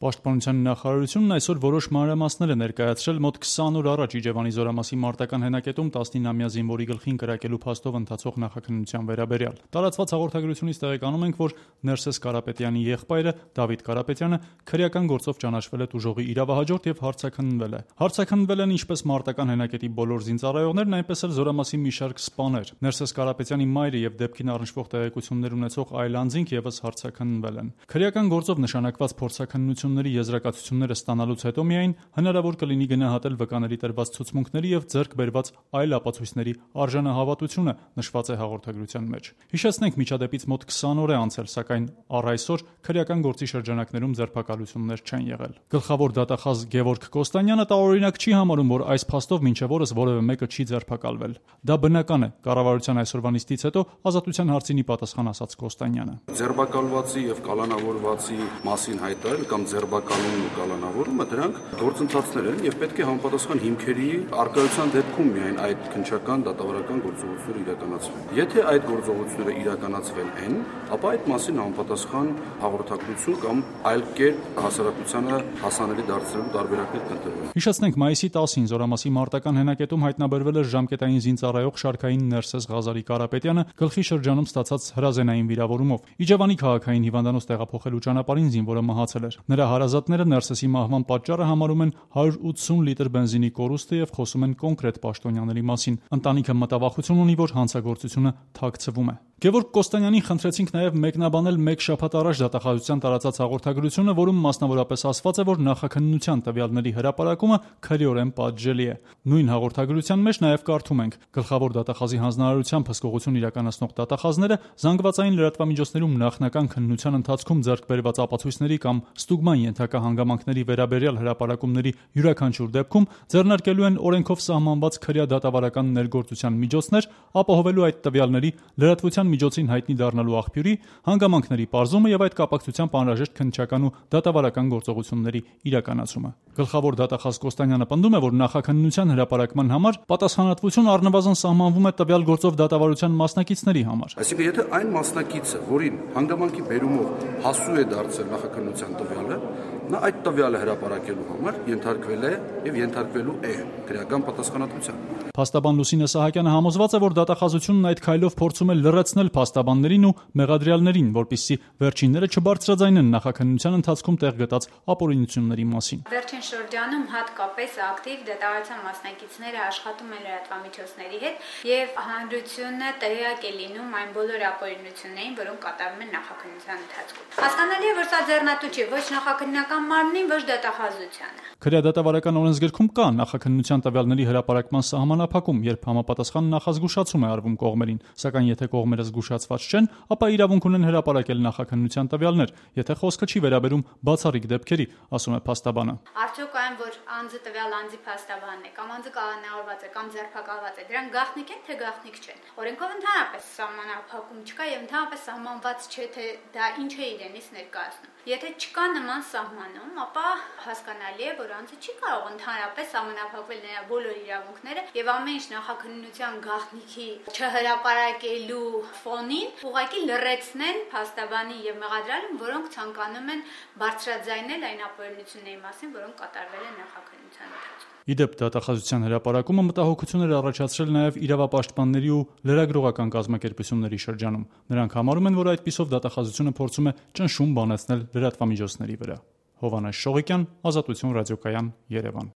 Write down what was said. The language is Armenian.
Պաշտպանության նախարարությունն այսօր որոշ մանրամասներ է ներկայացրել մոտ 20 օր առաջ Իջևանի Զորամասի մարտական հենակետում 19-ամյա զինվորի գլխին կրակելու փաստով ընթացող նախաքննության վերաբերյալ։ Տարածված հաղորդագրությունից տեղեկանում ենք, որ Ներսես Կարապետյանի եղբայրը Դավիթ Կարապետյանը քրեական գործով ճանաչվել է տուժողի իրավահաջորդ եւ հարցաքննվել է։ Հարցաքննվել են ինչպես մարտական հենակետի բոլոր զինծառայողներն, այնպես էլ Զորամասի մի շարք սպաներ։ Ներսես Կարապետյանի մայրը եւ դեպքին առնչվող տեղեկություններ ունեցող այլ անձինք եւս հարցաքննվել են։ Քրեական գործով նշանակված փորձաքննությունների եզրակացությունները ստանալուց հետո միայն հնարավոր կլինի գնահատել վկաների տրված ցուցմունքների եւ ձեռք բերված այլ ապացույցների արժանահավատությունը, նշված է հաղորդագրության մեջ։ Հիշեցնենք, միջադեպից մոտ 20 օր է անցել, սակայն առ այսօր քրեական գործի շրջանակներում ձերբակալություններ չեն եղել։ Գլխավոր դատախազ Գևորգ Կոստանյանը տարօրինակ չի համարում, որ այս փաստով մինչև օրս որևէ մեկը չի ձերբակալվել։ Դա բնական է, կառավարության այսօրվա նիստից հետո Ազատության հարցինի պատասխան ասաց Կոստանյանը։ Ձերբակալվածի եւ կալանավորվածի մասին հայտարարել կամ ձերբակալումն ու կալանավորումը դրանք գործընթացներ են եւ պետք է համապատասխան հիմքերի արկայության դեպքում միայն այդ քննչական դատավարական գործողությունները իրականացվեն։ Եթե այդ գործողությունները իրականացվել են, ապա այդ մասին համապատասխան հաղորդակցություն կամ այլ կերպ հասարակությանը հասանելի դարձնելու տարբերակներ կընտրվեն։ Հիշեցնենք, մայիսի 10-ին Զորամասի մարտական հենակետում հայտնաբերվել էր ժամկետային զինծառայող շարքային Ներսես Ղազարի Կարապետյանը գլխի շրջանում ստացած հրազենային վիրավորումով։ Իջևանի քաղաքային հիվանդանոց տեղափոխելու ճանապարհին զինվորը մահացել էր։ Նրա հարազատները Ներսեսի մահվան պատճառը համարում են 180 լիտր բենզինի կորուստը եւ խոսում են կոնկրետ պաշտոնյաների մասին։ Ընտանիքը մտավախություն ունի, որ հանցագործությունը թաքցվում է։ Գևորգ Կոստանյանին խնդրեցինք նաև մեկնաբանել մեկ շաբաթ առաջ դատախազության տարածած հաղորդագրությունը, որում մասնավորապես ասված է, որ նախաքննության տվյալների հրապարակումը քրեորեն պատժելի է։ Նույն հաղորդագրության մեջ նաև կարդում ենք. գլխավոր դատախազի հանձնարարությամբ հսկողություն իրականացնող դատախազները զանգվածային լրատվամիջոցներում նախնական քննության ընթացքում ձեռք բերված ապացույցների կամ ստուգման ենթակա հանգամանքների վերաբերյալ հրապարակումների յուրաքանչյուր դեպքում ձեռնարկելու են օրենքով սահմանված քրեադատավարական ներգործության միջոցներ, ապահովելու այդ տվյալների լրատվության միջոցին հայտնի դառնալու աղբյուրի, հանգամանքների պարզումը եւ այդ կապակցությամբ անհրաժեշտ քննչական ու դատավարական գործողությունների իրականացումը։ Գլխավոր դատախազ Կոստանյանը պնդում է, որ նախաքննության հրապարակման համար պատասխանատվություն առնվազն սահմանվում է տվյալ գործով դատավարության մասնակիցների համար։ Այսինքն, եթե այն մասնակիցը, որին հանգամանքի բերումով հասու է դարձել նախաքննության տվյալը, նա այդ տվյալը հրապարակելու համար ենթարկվել է եւ ենթարկվելու է քրեական պատասխանատվության։ Փաստաբան Լուսինե Սահակյանը համոզված է, որ դատախազությունն այդ քայլով փորձում է լրացնել փաստաբաններին ու մեղադրյալներին, որպեսզի վերջինները չբարձրաձայնեն նախաքննության ընթացքում տեղ գտած ապօրինությունների մասին։ Վերջին շրջանում հատկապես ակտիվ դատավարության մասնակիցները աշխատում են լրատվամիջոցների հետ եւ հանրությունը տեղյակ է լինում այն բոլոր ապօրինություններին, որոնք կատարվում են նախաքննության ընթացքում։ Հասկանալի է, որ սա ձեռնատու չէ ոչ նախաքննական մարմնին, ոչ դատախազությանը։ Քրեադատավարական օրենսգրքում կա նախաքննության տվյալների հրապարակման սահմանափակում, երբ համապատասխան նախազգուշացում է արվում կողմերին, սակայն եթե կողմերը զգուշացված չեն, ապա իրավունք ունեն հրապարակել նախաքննության տվյալներ, եթե խոսքը չի վերաբերում բացառիկ դեպքերի, ասում է փաստաբանը։ Արդյոք այն, որ անձը տվյալ անձի փաստաբանն է, կամ անձը կալանավորված է, կամ ձերբակալված է, դրանք գաղտնիք են, թե գաղտնիք չեն։ Օրենքով ընդհանրապես սահմանափակում չկա եւ ընդհանրապես սահմանված չէ, թե դա ինչ է իրենից ներկայացնում։ Եթե չկա նման սահմանում, ապա հասկանալի է, որ անձը չի կարող ընդհանրապես սահմանափակվել նրա բոլոր իրավունքները եւ ամեն ինչ նախաքննության գաղտնիքի չհրապարակելու ֆոնին ուղղակի լրացնեն փաստաբանի եւ մեղադրյալին, որոնք ցանկանում են բարձրաձայնել այն ապօրինությունների մասին, որոնք կատարվել են նախաքննության ընթացքում։ Իդեպ դատախազության հրապարակումը մտահոգություններ առաջացրել նաև իրավապաշտպանների ու լրագրողական կազմակերպությունների շրջանում։ Նրանք համարում են, որ այդպիսով դատախազությունը փորձում է ճնշում բանացնել լրատվամիջոցների վրա։ Հովհաննես Շողիկյան, Ազատություն ռադիոկայան, Երևան։